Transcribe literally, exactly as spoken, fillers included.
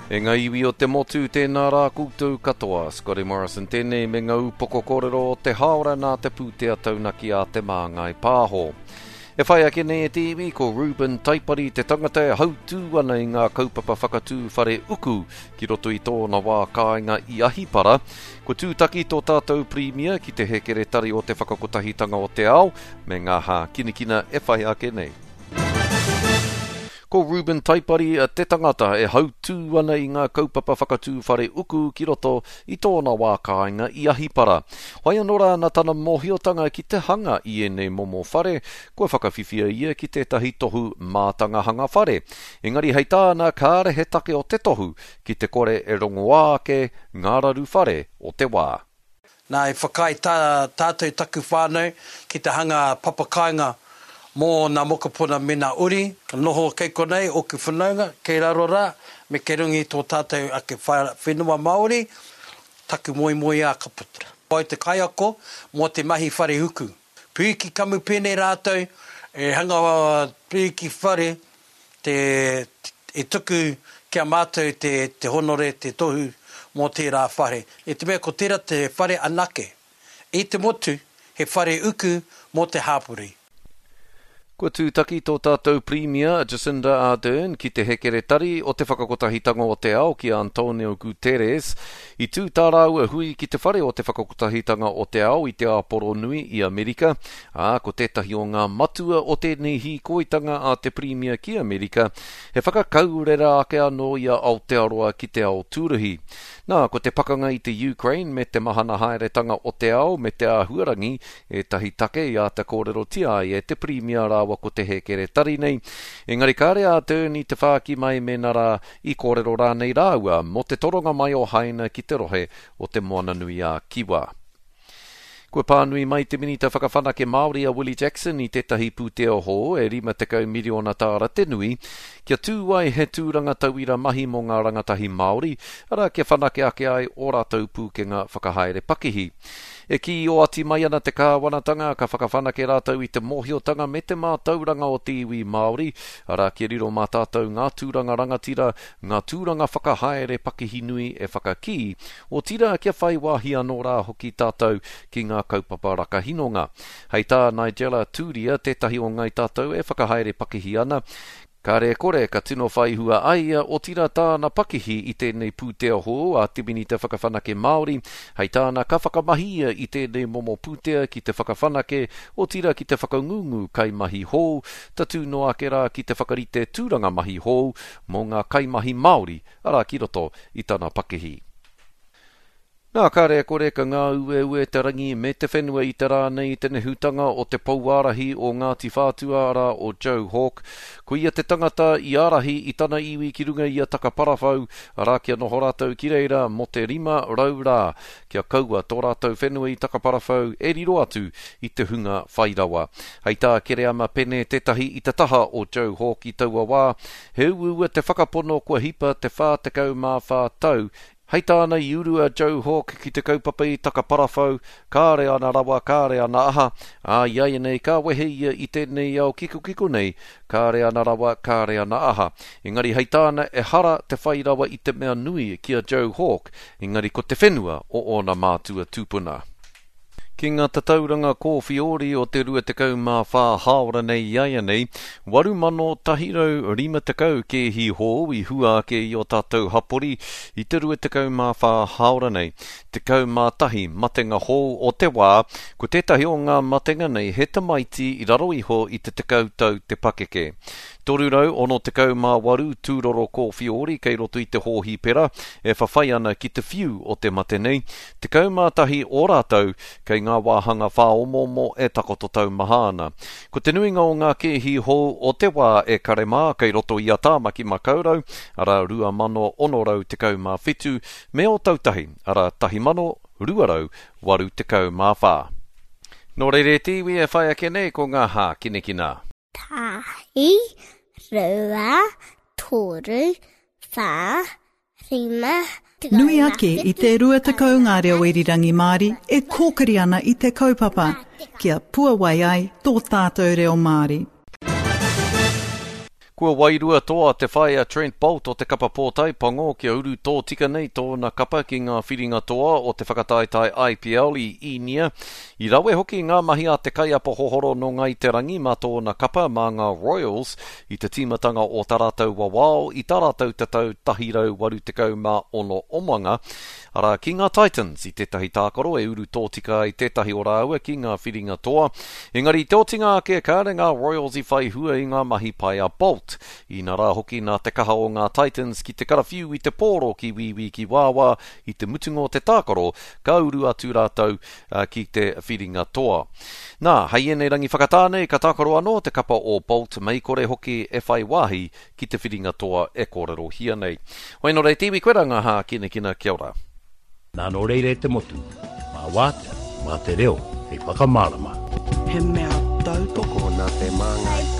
E ngā iwi o te motu, tēnā rā koutou katoa. Scotty Morrison tēnei me ngā upoko kōrero o te haora nā te pūtea taunaki a Te Māngai Pāho. E whai ake nei e te iwi, ko Reuben Taipari te tangata e hautū ana i ngā kaupapa whakatū whare uku ki roto i tōna wā kāinga i Ahipara. Ko tūtaki tō tātou Pirimia ki te hekeretari o te Whakakotahitanga o te Ao me ngā hākinakina e whai ake nei. Ko Reuben Taipari te tangata e hautū ana i ngā kaupapa whakatū whare uku ki roto i tōna wā kāinga i Ahipara. Whai anō rā nā tana mōhiotanga ki te hanga i ēnei momo whare, kua whakawhiwhia ia ki tētahi tohu mātanga hanga whare. Engari hei tāna kāre he take o te tohu ki te kore e rongoā ake ngā raru whare o te wā. Nā, i whakaae tā, tātou taku whānau ki te hanga papakāinga mō nā mokopuna me nā uri, ka noho kei konei ōku whanaunga, kei raro rā, me kei runga i tō tātou ake whenua Māori, taku moemoeā ka puta. Ko au te kaiako mō te mahi whare uku. Pīki kamupene rātou e hanga pīki whare te, e tuku ki a mātou te, te honore, te tohu mō tērā whare. I te mea ko tērā te whare anake i te motu, he whare uku mō te hāpori. Kua tūtaki tō tātou Pirimia Jacinda Ardern ki te hekeretari o te Whakakotahitanga o te Ao ki a Antonio Guterres. I tū tā rāua hui ki te whare o te Whakakotahitanga o te Ao i te Āporo Nui i Amerika, ā, ko tētahi o ngā matua o tēnei hīkoitanga a te Pirimia ki Amerika, he whakakaurera ake anō i a Aotearoa ki te ao tūruhi. Nā, ko te pakanga i te Ukraine me te mahana haeretanga o te ao me te āhuarangi ētahi take i āta kōrerotia ai e te Pirimia rāua ko te hekeretari nei. Engari kāre a Ardern i te whāki mai mēnā rā i kōrero rānei rāua mō te toronga mai o Haina ki te rohe o te Moananui-a-Kiwa. Kua pānui mai te Minita Whakawhanake Māori a Willie Jackson i tētahi pūtea hou e rima tekau miriona tāra te nui, kia tū ai he tūranga tauira mahi mō ngā rangatahi Māori, arā kia whanake ake ai ō rātou pūkenga whakahaere pakihi. E kī oati mai ana te kāwanatanga ka whakawhanake rātou i te mōhiotanga me te mātauranga o te iwi Māori, arā kia riro mā tātou ngā tūranga rangatira, ngā tūranga whakahaere pakihi nui e whakakī, otirā kia whai wāhi anō rā hoki tātou ki ngā kaupapa rakahinonga. Hei tā Nigella Tūria, tētahi o ngai tātou e whakahaere pakihi ana, kāre e kore ka tino whai hua ai ia, otirā tāna pakihi i tēnei pūtea hou a te Minita Whakawhanake Māori. Hei tāna ka whakamahi ia i tēnei momo pūtea ki te whakawhanake, otirā ki te whakangungu kaimahi hou, tatū noa ake rā ki te whakarite tūranga mahi hou mō ngā kaimahi Māori, arā ki roto i tana pakihi. Nā, kāre e kore ka ngāueue te rangi me te whenua i te rā nei i te nehutanga o te pouārahi o Ngāti Whātua arā o Joe Hawke. Ko ia te tangata i ārahi i tana iwi ki runga i a Takaparawhau, arā kia noho rātou ki reira mō te rima rau rā, kia kaua tō rātou whenua i Takaparawhau e riro atu i te hunga whai rawa. Hei tā Kereama Pene tētahi i te taha o Joe Hawke i taua wā, he uaua te whakapono kua hipa te whā tekau mā whā tau. Hei tāna i uru a Joe Hawke ki te kaupapa i Takaparawhau, kāre ana rawa, kāre ana aha, ā, i a ia nei ka wehe ia i tēnei ao kikokiko nei, kāre ana rawa, kāre ana aha. Engari hei tāna ehara te whai rawa i te mea nui ki a Joe Hawke, engari ko te whenua o ōna mātua tūpuna. Ki ngā tatauranga kōwhiori o te rua tekau mā whā hāora nei i aia nei, waru mano tahi rau rima tekau kēhi hou i hua ake i o tātou hapori i te rua tekau mā whā hāora nei. Tekau mā tahi matenga hou o te wā, ko tētahi o ngā matenga nei he tamaiti i raro iho i te tekau tau te pakeke. Toru rau ono tekau mā waru tūroro kōwhiori kei roto i te hōhipera e whawhai ana ki te whiu o te mate nei. Tekau mā tahi o rātou kei ngā wāhanga whāomoomo e takoto taumaha ana. Ko te nuinga o ngā kēhi hou o te wā e kare mā kei roto i a Tāmaki Makaurau, arā rua mano ono rau tekau mā whitu, me Ōtautahi, arā tahi mano rua rau waru tekau mā whā. Nō reira e te iwi e whai ake nei ko ngā hākinakina. Tahi, rua, toru, whā, rima, Nui ake i te rua tekau ngā reo irirangi Māori e kōkiri ana i te kaupapa, kia puawai ai tō tātou reo Māori. Kua wairua toa te whai a Trent Boult o te kapa pōtae pango kia uru tōtika nei tōna kapa ki ngā whiringa toa o te whakataetae I P L i Īnia. I rawe hoki ngā mahi a te kaiapa hohoro no Ngai Te Rangi mā tōna kapa mā ngā Royals i te tīmatanga o tā rātou wawao i tā rātou tatau tahi rau waru tekau mā ono omanga, arā ki ngā Titans i tētahi tākaro e uru tōtika ai tētahi o rāua ki ngā whiringa toa. Engari te otinga ake kāre ngā Royals i whai hua i ngā mahi pai a Boult. Ina rā hoki nā te kaha o ngā Titans ki te karawhiu i te pōro ki wīwī ki wāwā i te mutunga o te tākaro, ka uru atu rātou ki te whiringa toa. Nā, hei ēnei rangi whakatāne, ka tākaro anō te kapa o Boult mei kore hoki e whai wāhi ki te whiringa toa e kōrerohia nei. Hoi nō rei te iwi koe rā ngā hākinakina, kia ora. Nā nō reire te motu, mā wātea, mā te reo, hei whakamārama. He mea tautoko nā te māngai.